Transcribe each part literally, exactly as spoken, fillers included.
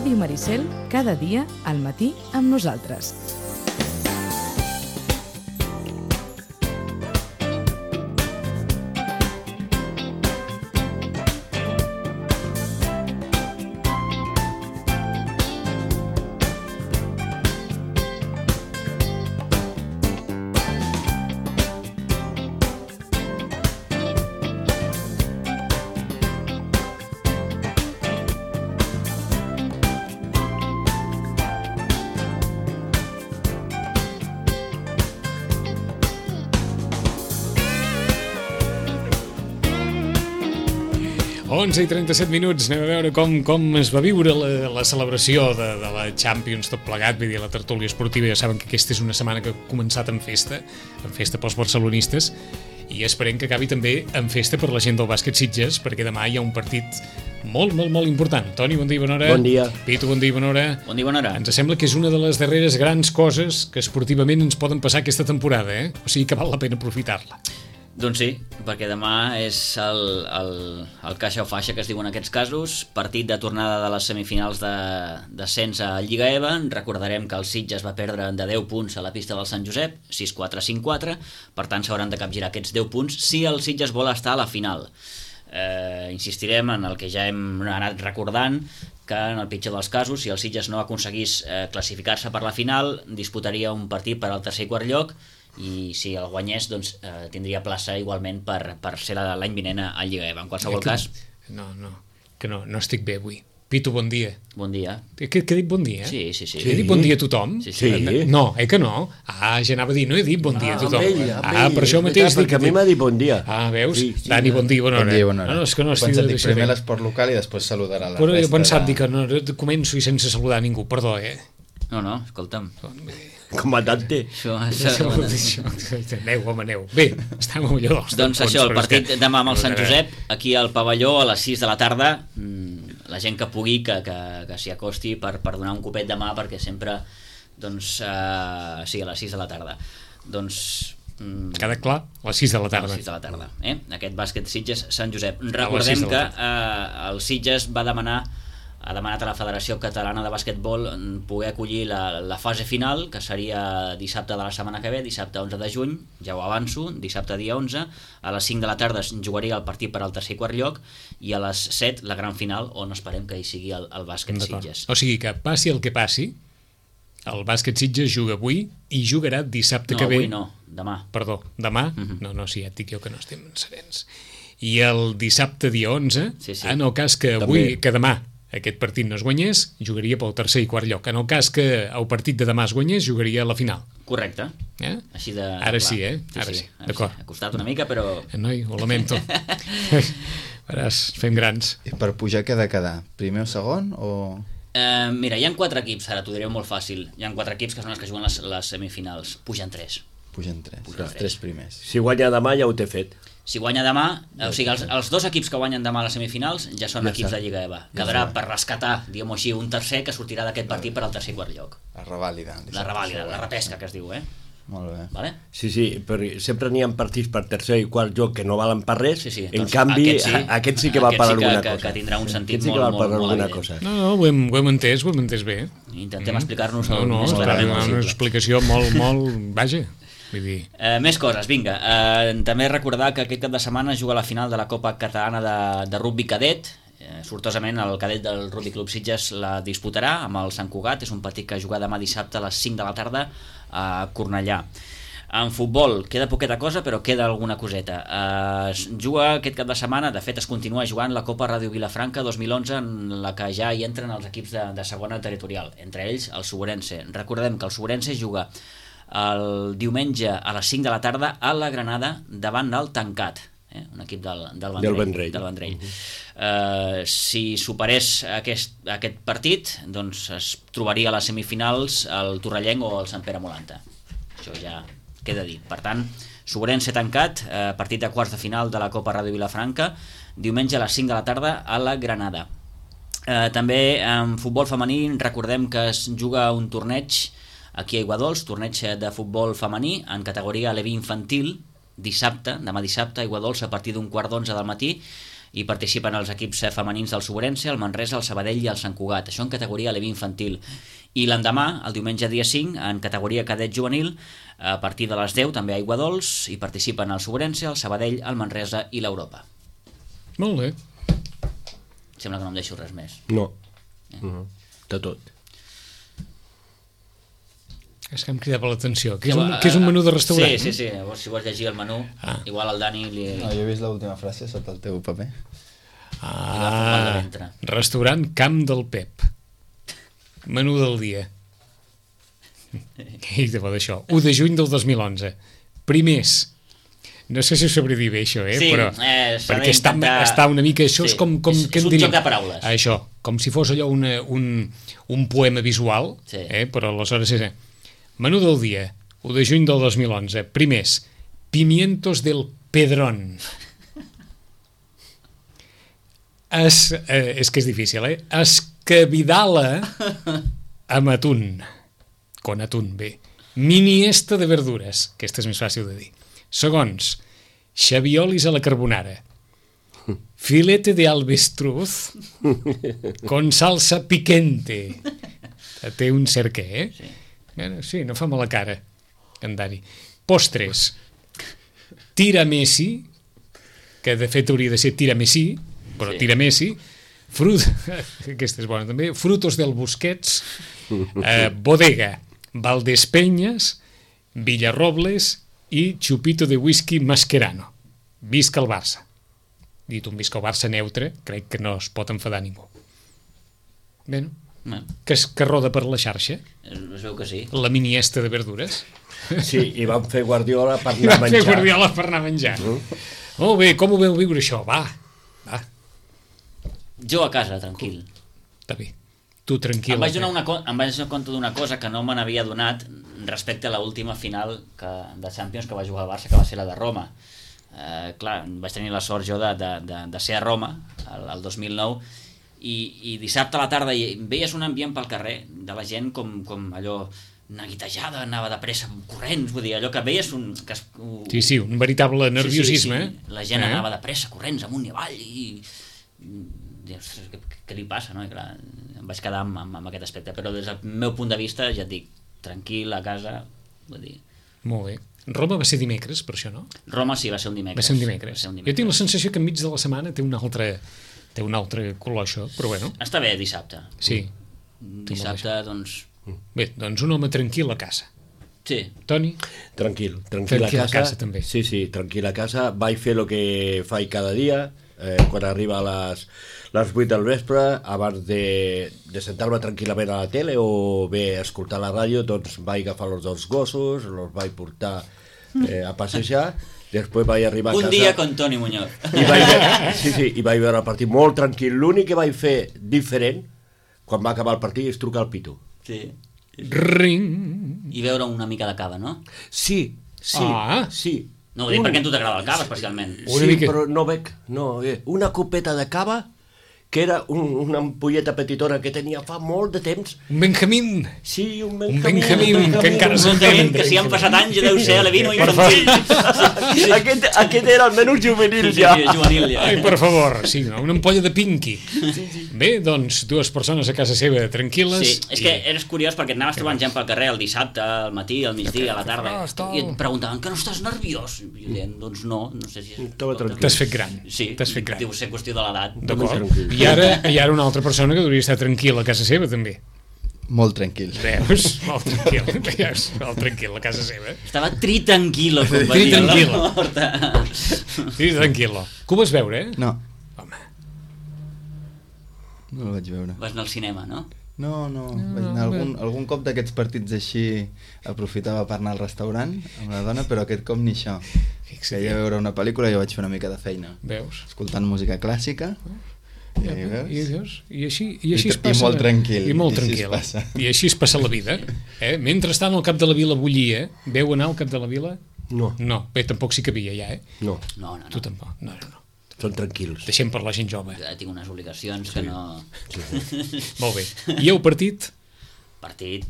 Ràdio Maricel, cada dia al matí amb nosaltres. onze i trenta-set minuts, anem a veure com, com es va viure la, la celebració de, de la Champions tot plegat, vull dir, la tertúlia esportiva. Ja saben que aquesta és una setmana que ha començat amb festa, amb festa pels barcelonistes, i esperem que acabi també amb festa per la gent del bàsquet Sitges, perquè demà hi ha un partit molt, molt, molt important. Toni, bon dia i bona hora. Bon dia. Pitu, bon dia i bona hora. Bon dia i bona hora. Ens sembla que és una de les darreres grans coses que esportivament ens poden passar aquesta temporada, eh? O sigui que val la pena aprofitar-la. Doncs sí, perquè demà és el, el, el caixa o faixa que es diu en aquests casos, partit de tornada de les semifinals de descens a Lliga E V A. Recordarem que el Sitges va perdre de deu punts a la pista del Sant Josep, sis quatre cinc quatre, per tant s'hauran de capgirar aquests deu punts si el Sitges vol estar a la final. Eh, insistirem en el que ja hem anat recordant, que en el pitjor dels casos, si el Sitges no aconseguís eh, classificar-se per la final, disputaria un partit per al tercer i quart lloc, i si el guanyés, doncs, eh, tindria plaça igualment per, per ser l'any vinent a Lliga E V A. En qualsevol que, cas... No, no, que no, no estic bé avui. Pitu, bon dia. Bon dia. Que, que he dit bon dia? Sí, sí, sí. He dit bon dia a tothom? Sí, sí. No, eh que no? Ah, ja anava a dir, no he dit bon dia a tothom. Ah, amb ell, amb ah, ell, per això mateix... Perquè a mi m'ha dit bon dia. Ah, veus? Sí, sí, Dani, bon dia, bona hora. Bon dia, bona hora. No, no, és que no estic Pensat, de dic, primer l'esport local i després saludarà la Però resta. jo he pensat de... dir que no, començo i sense saludar ningú, perdó, eh? No, no, escolta'm. Comandante. Això, Això, això, això, aneu, home, aneu. Bé, estem a millor dels doncs això, el partit que... demà amb el Sant Josep, aquí al pavelló a les sis de la tarda. La gent que pugui, que, que, que s'hi acosti per, per donar un copet de mà, perquè sempre, doncs, eh, sí, a les sis de la tarda. Doncs... Queda clar, a les sis de la tarda. A les sis de la tarda, eh? Aquest bàsquet Sitges Sant Josep. Recordem que eh, el Sitges va demanar ha demanat a la Federació Catalana de Bàsquetbol poder acollir la, la fase final, que seria dissabte de la setmana que ve, dissabte onze de juny, ja ho avanço, dissabte dia onze, a les cinc de la tarda es jugaria el partit per al tercer i quart lloc, i a les set la gran final, on esperem que hi sigui el, el bàsquet Sitges. O sigui que passi el que passi, el bàsquet Sitges juga avui i jugarà dissabte no, que ve. No, avui no, demà. Perdó, demà? Uh-huh. No, no, sí, ja et dic jo que no estem serens. I el dissabte dia onze, sí, sí. en el cas que avui, També. que demà aquest partit no es guanyés, jugaria pel tercer i quart lloc. En el cas que el partit de demà es guanyés, jugaria a la final. Correcte. Eh? Així de... Ara clar. sí, eh? Sí, Ara sí, sí, ara d'acord. Sí. Ha costat una mica, però... Noi, ho lamento. Veràs, fem grans. I per pujar què ha de quedar? Primer o segon o...? Eh, mira, hi ha quatre equips, ara t'ho diré molt fàcil. Hi ha quatre equips que són els que juguen les, les semifinals. Pugen tres. Pugen tres, Pugen els tres. tres primers. Si guanya demà ja ho té fet. Si guanya demà, o sigui, els, els dos equips que guanyen demà a les semifinals ja són ja equips de Lliga E V A. Quedarà ja per rescatar, diguem-ho així, un tercer que sortirà d'aquest partit per al tercer i quart lloc. La revàlida. La revàlida, la repesca que es diu, eh? Molt bé. Vale? Sí, sí, però sempre n'hi ha partits per tercer i quart lloc que no valen per res, sí, sí. en doncs canvi aquest sí, aquest sí que va per sí alguna que, cosa. Que tindrà un sentit sí molt, que molt, molt evident. cosa. No, no, ho hem, ho hem entès, ho hem entès bé. Intentem mm. explicar-nos no, no, més clarament una possible. Una explicació molt, molt... Vaja, vull dir... Eh, més coses, vinga. Eh, també recordar que aquest cap de setmana es juga la final de la Copa Catalana de, de Rugby Cadet. Eh, sortosament el cadet del Rugby Club Sitges la disputarà amb el Sant Cugat. És un partit que jugarà demà dissabte a les cinc de la tarda a Cornellà. En futbol queda poqueta cosa, però queda alguna coseta. Eh, es juga aquest cap de setmana, de fet es continua jugant la Copa Ràdio Vilafranca dos mil onze, en la que ja hi entren els equips de, de segona territorial, entre ells el Suburense. Recordem que el Suburense juga el diumenge a les cinc de la tarda a la Granada davant del Tancat, eh? Un equip del, del Vendrell. Del Vendrell. Del Vendrell. Uh-huh. Uh, si superés aquest, aquest partit, doncs es trobaria a les semifinals el Torrellenc o el Sant Pere Molanta. Això ja queda dit. Per tant, Suburense Tancat, eh, partit de quarts de final de la Copa Ràdio Vilafranca, diumenge a les cinc de la tarda a la Granada. Eh, també en futbol femení recordem que es juga un torneig aquí a Aiguadols, torneig de futbol femení en categoria Levi infantil, dissabte, demà dissabte, a Aiguadols a partir d'un quart d'onze del matí, i participen els equips femenins del Sobrense, el Manresa, el Sabadell i el Sant Cugat, això en categoria Levi infantil. I l'endemà, el diumenge dia cinc, en categoria cadet juvenil, a partir de les deu també a Aiguadols, hi participen el Sobrense, el Sabadell, el Manresa i l'Europa. Molt bé. Sembla que no em deixo res més. No. Eh? Uh -huh. De tot. És que em cridava l'atenció. Que és, un, que és un menú de restaurant? Sí, sí, sí. Llavors, si vols llegir el menú, ah. igual al Dani li... No, jo he vist l'última frase sota el teu paper. Ah, restaurant Camp del Pep. Menú del dia. I de bo d'això. u de juny del dos mil onze. Primers. No sé si ho sabré dir bé, això, eh? Sí, però, eh, perquè està, està una mica... Això sí, és com... com és, que és un diríem, joc de paraules. Això, com si fos allò una, un, un poema visual, sí. eh? Però aleshores és... Menú del dia, u de juny del dos mil onze. Primers, pimientos del Pedrón. Es, eh, és que és difícil, eh? Escabidala amb atún. Con atún, bé. Miniesta de verdures. Aquesta és més fàcil de dir. Segons, xaviolis a la carbonara. Filete de alvestruz con salsa piquente. Té un cert què, eh? Sí. Bueno, sí, no fa mala cara, en Dani. Postres. Tiramessi, que de fet hauria de ser tiramessi, però sí. Tiramessi. Frut... Aquesta és bona també. Frutos del Busquets. Eh, bodega. Valdespenyes, Villarrobles i Chupito de whisky Mascherano. Visca el Barça. Dit un visca el Barça neutre, crec que no es pot enfadar ningú. Bé, no? No. Que, es, que roda per la xarxa. Es veu que sí. La miniesta de verdures. Sí, i van fer Guardiola per anar a menjar. Van fer Guardiola per anar a menjar. Mm. Molt bé, com ho veu viure això? Va, va. Jo a casa, tranquil. Està bé. Tu tranquil. Em vaig donar una, em vaig donar compte d'una cosa que no me n'havia donat respecte a l'última final que, de Champions que va jugar al Barça, que va ser la de Roma. Eh, clar, vaig tenir la sort jo de, de, de, de ser a Roma el, el dos mil nou i, i dissabte a la tarda i veies un ambient pel carrer de la gent com, com allò neguitejada, anava de pressa corrents, vull dir, allò que veies un... Que es, un... Sí, sí, un veritable nerviosisme. Sí, sí, sí. La gent eh? anava de pressa corrents amunt i avall i... Dius, què, què li passa, no? I clar, em vaig quedar amb, amb, amb aquest aspecte, però des del meu punt de vista, ja et dic, tranquil, a casa, vull dir... Molt bé. Roma va ser dimecres, per això, no? Roma sí, va ser un dimecres. Va ser un dimecres. Ser un dimecres. Jo tinc la sensació que enmig de la setmana té un altre, té un altre color, això, però bueno. Està bé, dissabte. Sí. Dissabte, doncs... Bé, doncs un home tranquil a casa. Sí. Toni? Tranquil, tranquil, tranquil a casa. a casa també. Sí, sí, tranquil a casa. Vaig fer el que faig cada dia, eh, quan arriba a les... les vuit del vespre, abans de, de sentar-me tranquil·lament a la tele o bé escoltar la ràdio, doncs vaig agafar els dos gossos, els vaig portar eh, a passejar, després vaig arribar a un casa... Un dia con Toni Muñoz. I vaig, sí, sí, i vaig veure el partit molt tranquil. L'únic que vaig fer diferent, quan va acabar el partit, és trucar al Pitu. Sí. Ring! I veure una mica de cava, no? Sí, sí, ah. sí. No, ho dic un... perquè a tu t'agrada el cava, especialment. Sí, mica... però no bec... No, eh, una copeta de cava que era un, una ampolleta petitona que tenia fa molt de temps. Un Benjamín! Sí, un Un Benjamín. Benjamín, que encara se'n Benjamín, que si han passat anys ja deu ser a l'Evino infantil. Sí, sí. Aquest, aquest era el menú juvenil ja. Sí, juvenil ja. Ai, per favor, sí, no? Una ampolla de Pinky. Sí, sí. Bé, doncs, dues persones a casa seva tranquil·les. Sí, és que eres curiós perquè anaves trobant gent pel carrer el dissabte, al matí, al migdia, a la tarda, i et preguntaven que no estàs nerviós. I jo deien, doncs no, no sé si... T'has fet gran. Sí, t'has fet gran. Deu ser qüestió de l'edat. D'acord. I ara hi ha una altra persona que hauria d'estar tranquil a casa seva, també. Molt tranquil. Veus? Molt tranquil. Veus? Molt tranquil a casa seva. Estava tritranquilo, com va dir a la porta. Tritranquilo. Que ho vas veure, eh? No. Home. No el vaig veure. Vas anar al cinema, no? No, no, no vaig anar algun, algun cop d'aquests partits així aprofitava per anar al restaurant amb la dona, però aquest cop ni això. Feia veure una pel·lícula i jo vaig fer una mica de feina. Veus? Escoltant música clàssica. Ja, I, i, veus? I així, i així I, es passa. I molt tranquil. I molt I tranquil. Així I així es passa la vida. Eh? Mentrestant el cap de la vila bullia. Veu anar al cap de la vila? No. No, bé, tampoc s'hi cabia ja, eh? No. No, no, no. Tu tampoc. No, no, no. Són tranquils. Deixem per la gent jove. Ja tinc unes obligacions que Sí. no... Sí. Molt bé. I el partit? Partit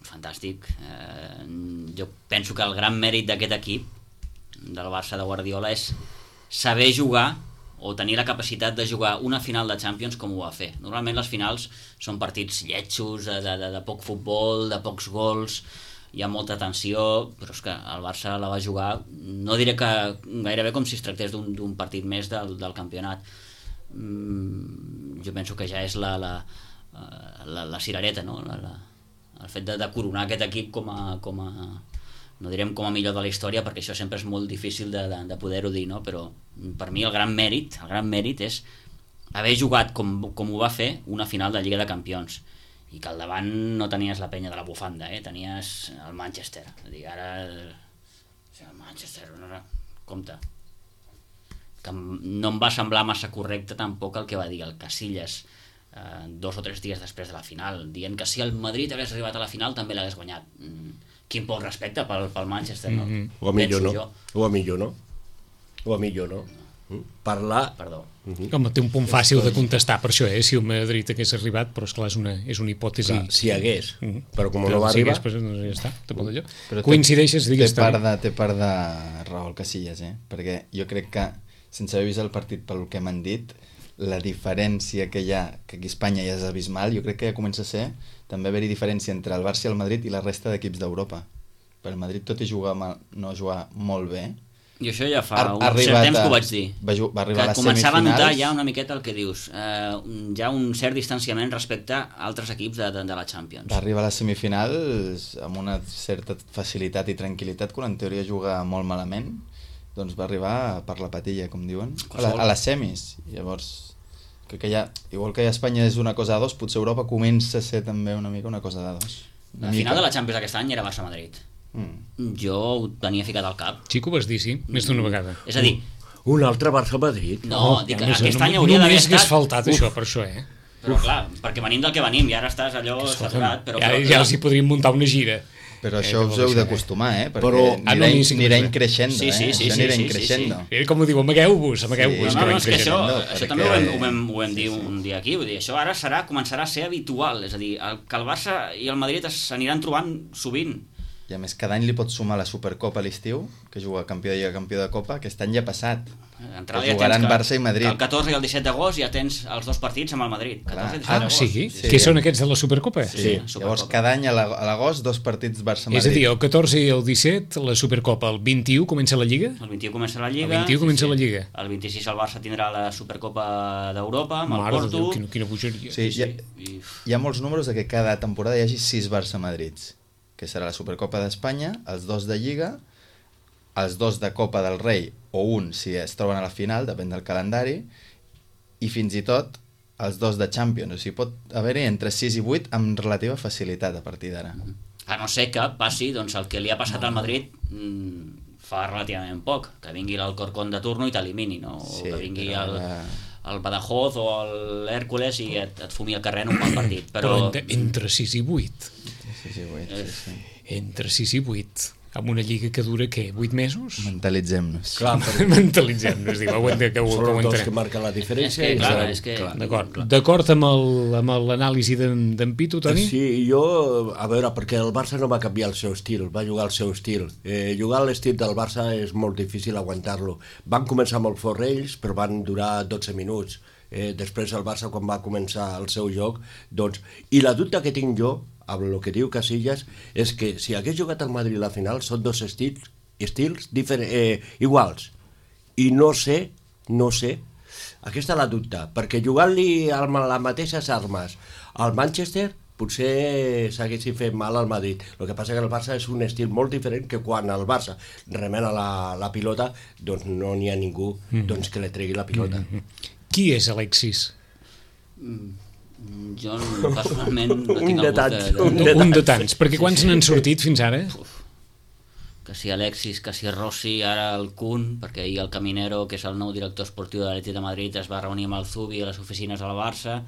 fantàstic. Eh, jo penso que el gran mèrit d'aquest equip del Barça de Guardiola és saber jugar o tenir la capacitat de jugar una final de Champions com ho va fer. Normalment les finals són partits lletjos, de, de, de poc futbol, de pocs gols, hi ha molta tensió, però és que el Barça la va jugar, no diré que gairebé com si es tractés d'un partit més del, del campionat. Mm, jo penso que ja és la, la, la, la cirereta, no? La, la, el fet de, de coronar aquest equip com a, com a, no direm com a millor de la història, perquè això sempre és molt difícil de, de, de poder-ho dir, no? Però per mi el gran mèrit, el gran mèrit és haver jugat com, com ho va fer una final de Lliga de Campions, i que al davant no tenies la penya de la bufanda, eh? Tenies el Manchester. Dir, ara el Manchester, no, compte, que no em va semblar massa correcte tampoc el que va dir el Casillas eh, dos o tres dies després de la final, dient que si el Madrid hagués arribat a la final també l'hagués guanyat. Mm. Quin poc respecte pel, pel Manchester, no? Mm -hmm. O a millor no. O a millor no. O a millor no. Mm. Parlar... Perdó. Mm -hmm. Com té un punt fàcil de contestar per això, eh? Si el Madrid hagués arribat, però esclar, és una, és una hipòtesi... Clar, si hagués, mm -hmm. però com però no va si arribar... Hagués, doncs ja està, te pot allò. Però coincideixes, digues... Té part, de, té part de raó el Casillas, eh? Perquè jo crec que, sense haver vist el partit pel que m'han dit, la diferència que hi ha, que aquí a Espanya ja és abismal, jo crec que ja comença a ser també haver-hi diferència entre el Barça i el Madrid i la resta d'equips d'Europa. Per el Madrid, tot i jugar mal, no jugar molt bé, i això ja fa un cert temps que ho vaig dir, va, va arribar que a les començava semifinals. a notar ja una miqueta el que dius, eh, ja un cert distanciament respecte a altres equips de, de, de la Champions. Va arribar a les semifinals amb una certa facilitat i tranquil·litat, quan en teoria juga molt malament, doncs va arribar per la patilla, com diuen, a, la, a les semis. Llavors, crec que ja, igual que a Espanya és una cosa de dos, potser Europa comença a ser també una mica una cosa de dos. La final de la Champions aquest any era Barça-Madrid. Mm. Jo ho tenia ficat al cap. Sí que ho vas dir, sí, més d'una vegada. És a dir... Un altre Barça-Madrid? No, oh, dic que aquest any hauria d'haver estat... Només hagués faltat això, per això, eh? Però clar, perquè venim del que venim i ara estàs allò saturat, però... Ja, ja els hi podríem muntar una gira. Però això eh, us heu d'acostumar, eh? Perquè però, anirà, ah, no, anirà increixendo, sí, sí, sí, eh? Això sí, anirà sí, increixendo. Sí, sí. Com ho diu, amagueu-vos, amagueu-vos. Sí, no, no, és que això, perquè... això també ho vam, ho vam, ho vam dir sí, sí. un dia aquí, vull dir, això ara serà, començarà a ser habitual, és a dir, el, que el Barça i el Madrid s'aniran trobant sovint. I a més, cada any li pots sumar la Supercopa a l'estiu, que juga campió de Lliga, campió de Copa, aquest any ja ha passat. Entrada que jugaran ja Barça i Madrid. El catorze i el disset d'agost ja tens els dos partits amb el Madrid. catorze i disset Ah, d'agost. sí? sí? Què són aquests de la Supercopa? Sí, sí. sí. Llavors cada any a l'agost dos partits Barça-Madrid. És a dir, el catorze i el disset la Supercopa, el vint-i-u comença la Lliga? El vint-i-u comença la Lliga. El vint-i-u comença sí, la Lliga. El vint-i-sis el Barça tindrà la Supercopa d'Europa amb Mare el Porto. Déu, quina, quina bogeria. Sí, hi ha, hi ha molts números de que cada temporada hi hagi sis Barça-Madrids, que serà la Supercopa d'Espanya, els dos de Lliga, els dos de Copa del Rei, o un si es troben a la final, depèn del calendari, i fins i tot els dos de Champions. O sigui, pot haver-hi entre sis i vuit amb relativa facilitat a partir d'ara. A no ser que passi doncs, el que li ha passat no. al Madrid mmm, fa relativament poc, que vingui l'Alcorcón de turno i t'elimini, no? Sí, o que vingui el, la... el Badajoz o l'Hèrcules i et, et fumi el carrer en un bon partit. Però, però entre, entre sis i vuit. sis i vuit, sí, sí. Entre sis i vuit. Amb una lliga que dura, què, vuit mesos? Mentalitzem-nos. Clar, mentalitzem-nos, diu, aguanta, que ho, són que ho els dos entenem. que marquen la diferència. És que, clar, seran, és que... D'acord, d'acord amb l'anàlisi d'en Pitu, Toni? Sí, jo, a veure, perquè el Barça no va canviar el seu estil, va jugar el seu estil. Eh, jugar l'estil del Barça és molt difícil aguantar-lo. Van començar molt fort ells, però van durar dotze minuts. Eh, després el Barça, quan va començar el seu joc, doncs... I la dubte que tinc jo, amb el que diu Casillas, és que si hagués jugat al Madrid a la final són dos estils, estils eh, iguals. I no sé, no sé, aquesta la dubte, perquè jugant-li amb les mateixes armes al Manchester potser s'haguessin fet mal al Madrid. El que passa que el Barça és un estil molt diferent que quan el Barça remena la, la pilota, doncs no n'hi ha ningú doncs, que li tregui la pilota. Mm-hmm. Qui és Alexis? Mm. Jo personalment no tinc un de algú tants, que... un de, un de tants, perquè quants sí, sí. n'han sortit fins ara? Uf. Que si Alexis, que si Rossi, ara el Kun, perquè ahir el Caminero, que és el nou director esportiu de l'Atlètic de Madrid, es va reunir amb el Zubi a les oficines del Barça.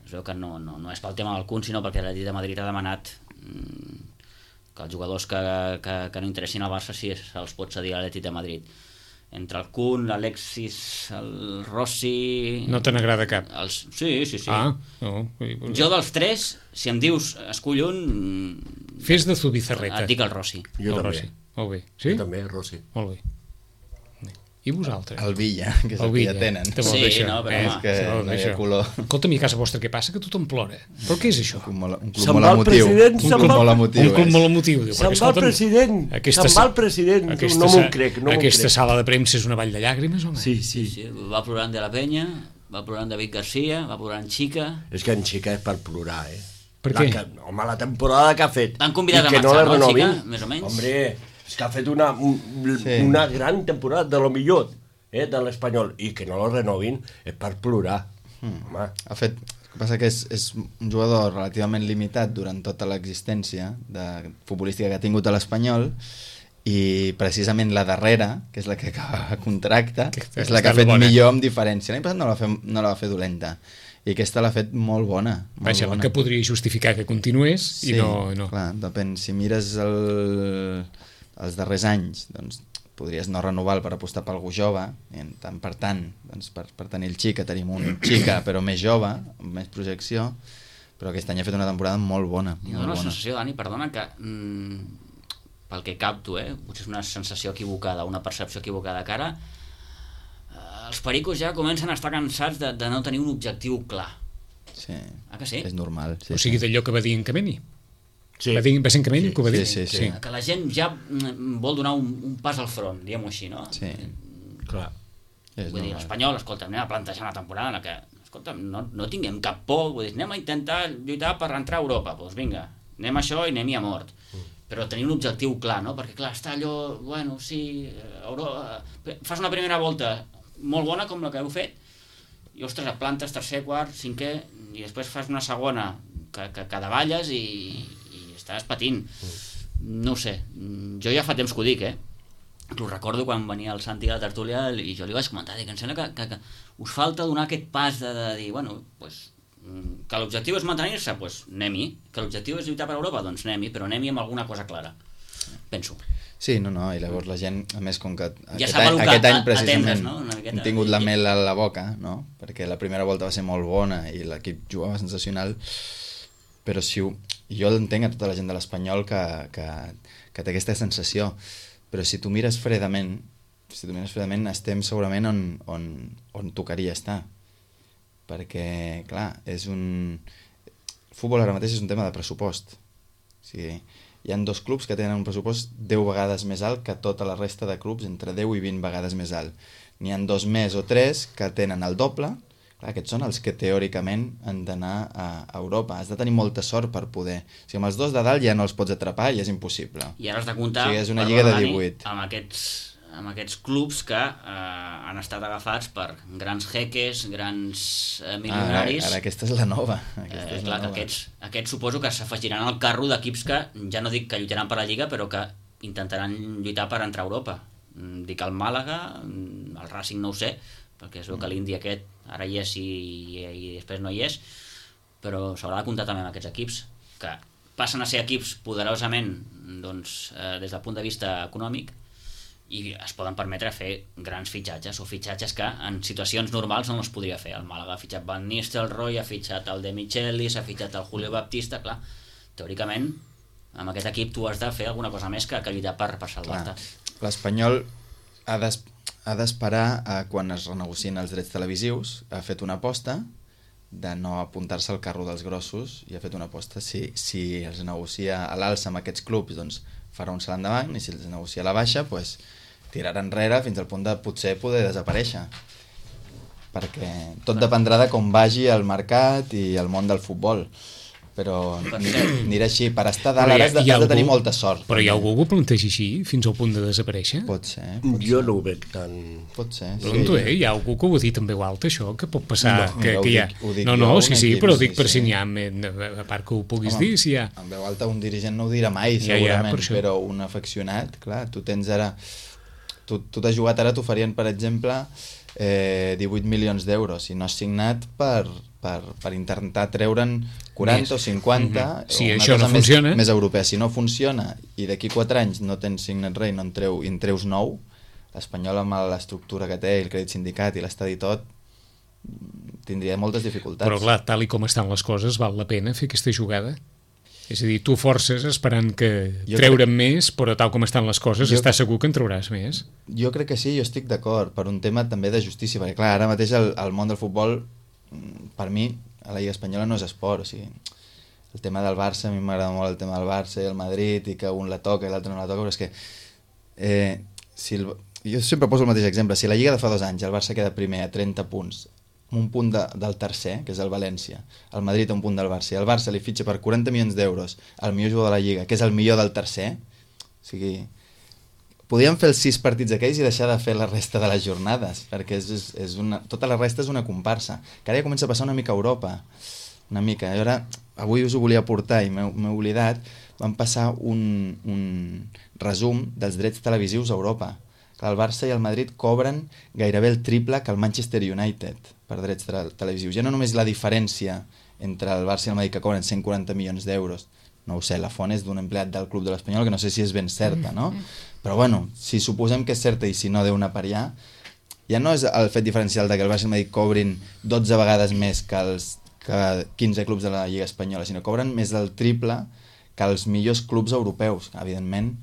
Es veu que no, no, no és pel tema del Kun, sinó perquè l'Atlètic de Madrid ha demanat mmm, que els jugadors que, que, que no interessin al Barça sí se'ls pot cedir a l'Atlètic de Madrid. Entre el Kun, l'Alexis, el Rossi... No te n'agrada cap? Els... Sí, sí, sí. Ah, no. Jo dels tres, si em dius escull un... Fes de Zubizarreta. Et dic el Rossi. Jo el també. Rossi. Molt bé. Sí? Jo també, Rossi. Molt bé. I vosaltres? El Villa, que és El el, que Villa. ja tenen. Te vol Sí, dir això, no, però eh? home, És que Te vol no dir hi ha això. color. Escolta'm, i a casa vostra què passa? Que tothom plora. Però què és això? Un club molt, un club Se'n molt va el emotiu. president, Un se'n club va- molt emotiu. Un club és. molt emotiu. Diu, Se'n perquè, va el escolta'm, president, aquesta se'n va sa- el president, aquesta no m'ho sa- crec, no m'ho Aquesta crec. sala de premsa és una vall de llàgrimes, home? Sí, sí. Sí, va plorant de la Penya, va plorant David Garcia, va plorant Chica... És que en Xica és per plorar, eh? Per la què? Que, home, la temporada que ha fet. L'han convidat i a que marxar, la no, renovin. Xica? Més o menys. Hombre, és que ha fet una, un, Sí. una gran temporada, de lo millor, eh, de l'Espanyol, i que no lo renovin és per plorar. Mm. Home, Ha fet... El que passa que és, és un jugador relativament limitat durant tota l'existència de futbolística que ha tingut a l'Espanyol, i precisament la darrera, que és la que acaba contracte, Que és la que ha està fet bona. millor amb diferència. L'any passat no la, va fer, no la va fer dolenta, i aquesta l'ha fet molt bona. Molt Vaja, bona. que podria justificar que continués Sí, i no... no. clar, depèn. Si mires el, els darrers anys, doncs podries no renovar per apostar per algú jove, i en tant per tant, doncs per, per tenir el Xica, tenim un Xica però més jove, amb més projecció, però aquest any ha fet una temporada molt bona. I Molt dona la bona. sensació, Dani, perdona, que mm, pel que capto, eh, potser és una sensació equivocada, una percepció equivocada, que ara eh, els pericos ja comencen a estar cansats de, de no tenir un objectiu clar. Sí. Ah, que sí? És normal. Sí, O sigui, sí. d'allò que va dir en Cameni. sí. Va, dir, va ser en Cameni Sí, que ho va dir? sí, sí, sí. Que la gent ja mm, vol donar un, un pas al front, diguem-ho així, no? Sí. Clar. És Vull dir, normal. l'Espanyol, escolta, anem a plantejar una temporada en la que, escolta, no, no tinguem cap por, vull dir, anem a intentar lluitar per entrar a Europa, doncs vinga, anem a això i anem-hi a mort. Però tenir un objectiu clar, no? Perquè, clar, està allò, bueno, sí, Euro... fas una primera volta molt bona com la que heu fet, i, ostres, et plantes tercer, quart, cinquè, i després fas una segona que, que, que davalles i, i estàs patint. No ho sé, jo ja fa temps que ho dic, eh? Ho recordo quan venia el Santi a la tertúlia i jo li vaig comentar, dic, em sembla que, que, que us falta donar aquest pas de, de dir, bueno, pues, que l'objectiu és mantenir-se, pues anem-hi, que l'objectiu és lluitar per Europa, doncs anem-hi, però anem-hi amb alguna cosa clara, penso. Sí, no, no, i llavors la gent, a més, com que Ja aquest, sap any, el que aquest any a- precisament atendre's, no? Una miqueta. hem tingut la mel a la boca, no? Perquè la primera volta va ser molt bona i l'equip jugava sensacional, però si ho, jo entenc a tota la gent de l'Espanyol que, que, que té aquesta sensació, però si tu mires fredament, si tu mires fredament, estem segurament on, on, on tocaria estar, perquè, clar, és un... El futbol ara mateix és un tema de pressupost. O sigui, hi ha dos clubs que tenen un pressupost deu vegades més alt que tota la resta de clubs, entre deu i vint vegades més alt. N'hi ha dos més o tres que tenen el doble. Clar, aquests són els que teòricament han d'anar a Europa. Has de tenir molta sort per poder. O sigui, amb els dos de dalt ja no els pots atrapar i és impossible. I ara has de comptar, Sí, és una perdona, lliga de Dani, divuit. amb aquests, amb aquests clubs que eh, han estat agafats per grans jeques, grans eh, milionaris. Ara, ara aquesta és la nova. Aquesta Eh, és clar, la que nova. aquests, aquests suposo que s'afegiran al carro d'equips que ja no dic que lluitaran per la Lliga, però que intentaran lluitar per entrar a Europa. Mm, Dic el Màlaga, mm, el Racing no ho sé, perquè es veu que l'Indi aquest ara hi és i, i, i després no hi és, però s'haurà de comptar també amb aquests equips que passen a ser equips poderosament doncs, eh, des del punt de vista econòmic i es poden permetre fer grans fitxatges o fitxatges que en situacions normals no es podria fer. El Màlaga ha fitxat Van Nistelrooy, ha fitxat el De Michelis, ha fitxat el Julio Baptista, clar, teòricament amb aquest equip tu has de fer alguna cosa més que, que lluitar per, per salvar-te. L'Espanyol ha d'es- ha d'esperar a quan es renegocien els drets televisius. Ha fet una aposta de no apuntar-se al carro dels grossos i ha fet una aposta, si, si els negocia a l'alça amb aquests clubs, doncs farà un salt endavant, i si els negocia a la baixa, doncs tirarà enrere fins al punt de potser poder desaparèixer, perquè tot dependrà de com vagi el mercat i el món del futbol, però anirà així. Per estar dalt ara has de, has de tenir molta sort. Però hi ha algú que ho plantegi així, fins al punt de desaparèixer? Pot ser, pot Jo ser. no ho veig tan... Pot ser, Pregunto, eh? Hi ha algú que ho ha dit en veu alta, això? Que pot passar? No, que, ho que hi ha... dic- ho dic no, jo, no, un sí, sí, equip, però sí, dic per sí. si n'hi ha, a part que ho puguis Home, dir, si hi ha... En veu alta un dirigent no ho dirà mai, Ja, ja, segurament, per això. però un afeccionat, clar, tu tens ara... Tu, tu t'has jugat ara, t'oferien, per exemple, eh, divuit milions d'euros, i no has signat per, per, per intentar treure'n quaranta Més. o cinquanta, Mhm. Si o una això cosa no funciona. més, més europea. Si no funciona i d'aquí quatre anys no tens signat res i no en, treu, i en treus nou, l'Espanyol amb l'estructura que té, el crèdit sindicat i l'estadi tot, tindria moltes dificultats. Però clar, tal i com estan les coses, val la pena fer aquesta jugada? És a dir, tu forces esperant que Jo treure'n més, però tal com estan les coses, Jo- estàs segur que en trauràs més. Jo crec que sí, jo estic d'acord, per un tema també de justícia, perquè clar, ara mateix el, el món del futbol, mm, per mi, a la Lliga Espanyola no és esport, o sigui, el tema del Barça, a mi m'agrada molt el tema del Barça i el Madrid, i que un la toca i l'altre no la toca, però és que eh, si el, jo sempre poso el mateix exemple, si la Lliga de fa dos anys el Barça queda primer a trenta punts, un punt de, del tercer, que és el València, el Madrid a un punt del Barça, i el Barça li fitxa per quaranta milions d'euros al millor jugador de la Lliga, que és el millor del tercer, o sigui, podríem fer els sis partits aquells i deixar de fer la resta de les jornades, perquè és, és, és una, tota la resta és una comparsa, que ara ja comença a passar una mica a Europa, una mica, i ara, avui us ho volia portar i m'he oblidat, van passar un, un resum dels drets televisius a Europa. El Barça i el Madrid cobren gairebé el triple que el Manchester United per drets te televisius. Ja no només la diferència entre el Barça i el Madrid, que cobren cent quaranta milions d'euros, no ho sé, la font és d'un empleat del Club de l'Espanyol, que no sé si és ben certa, no? Però bueno, si suposem que és certa i si no deu anar per allà, ja no és el fet diferencial de que el Barça i el Madrid cobrin dotze vegades més que els que quinze clubs de la Lliga Espanyola, sinó cobren més del triple que els millors clubs europeus, evidentment.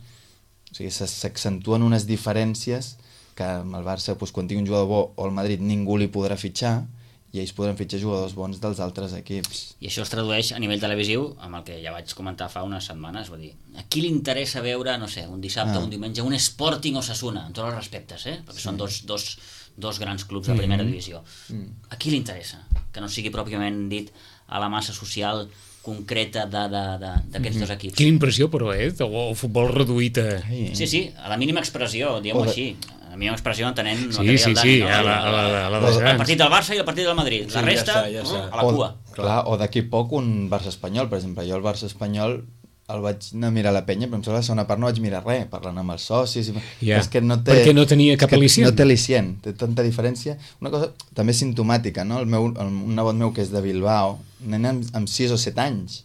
O sigui, s'accentuen unes diferències que amb el Barça, doncs, quan tingui un jugador bo o el Madrid ningú li podrà fitxar i ells podran fitxar jugadors bons dels altres equips. I això es tradueix a nivell televisiu amb el que ja vaig comentar fa unes setmanes, vull dir, a qui li interessa veure, no sé, un dissabte o Ah. un diumenge, un Sporting Osasuna, amb tots els respectes, eh? Perquè sí. són dos, dos, dos grans clubs de primera divisió. Mm. A qui li interessa? Que no sigui pròpiament dit a la massa social concreta d'aquests mm-hmm. dos equips. Quina impressió, però, eh? El, el futbol reduït a... Ai, Sí, sí, a la mínima expressió, diguem-ho O de- així. A la mínima expressió entenent el Sí, que deia sí, el sí, Dani, no? a la, a la, a la dels El grans. partit del Barça i el partit del Madrid. La Sí, ja resta, està, ja està. a la cua. O, clar, o d'aquí poc un Barça-Espanyol, per exemple. Jo el Barça-Espanyol el vaig anar a mirar a la penya, però em sembla que la segona part no vaig mirar res, parlant amb els socis... I... Ja, és que no té, perquè no tenia cap és que al·licient. No té al·licient, té tanta diferència. Una cosa també simptomàtica, no? El meu, el, un nebot meu que és de Bilbao, un nen amb, amb sis o set anys,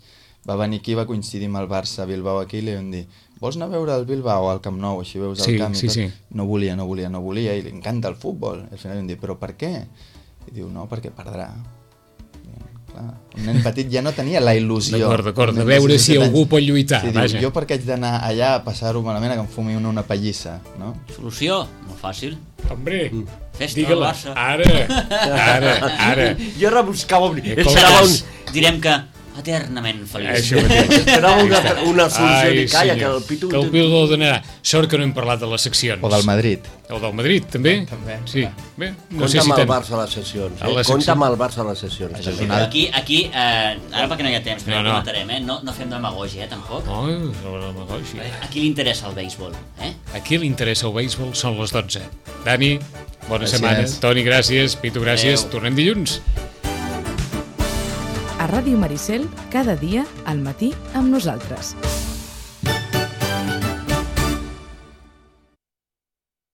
va venir aquí, va coincidir amb el Barça a Bilbao aquí, i li vam dir, vols anar a veure el Bilbao al Camp Nou, així veus Sí, el camp i sí, tot? sí. No volia, no volia, no volia, i li encanta el futbol. I al final vam dir, però per què? I diu, no, perquè perdrà. I, clar, un nen petit ja no tenia la il·lusió. D'acord, d'acord, Un de nen veure sis o si set algú anys. pot lluitar, Sí, vaja. diu, jo per què haig d'anar allà a passar-ho malament, a que em fumi una, una pallissa, no? Solució? Molt fàcil. Hombre, Festa digue-la. al Barça. Ara, ara, ara. Jo rebuscava... Eh, Esperava un... Direm que eternament feliç. Això mateix. Esperava una, una solució Ai, de calla, que senyor. el Pitu... Que el Pitu el donarà. Sort que no hem parlat de les seccions. O del Madrid. O del Madrid, també? També. Sí. Bé, no Compte sé si amb el ten... Barça a les sessions. A Eh? les Compte seccions. amb el Barça a les sessions. Això és també. una altra- Aquí, aquí eh, ara perquè no hi ha temps, però No, no, no. comentarem, eh? No, no fem demagògia, eh, tampoc. Oh, no, no, no, sí. A qui li interessa el béisbol? Eh? A qui li interessa el béisbol són les dotze. Dani, bona Gràcies. setmana. Toni, gràcies. Pitu, gràcies. Adéu. Tornem dilluns. A Ràdio Maricel, cada dia al matí amb nosaltres.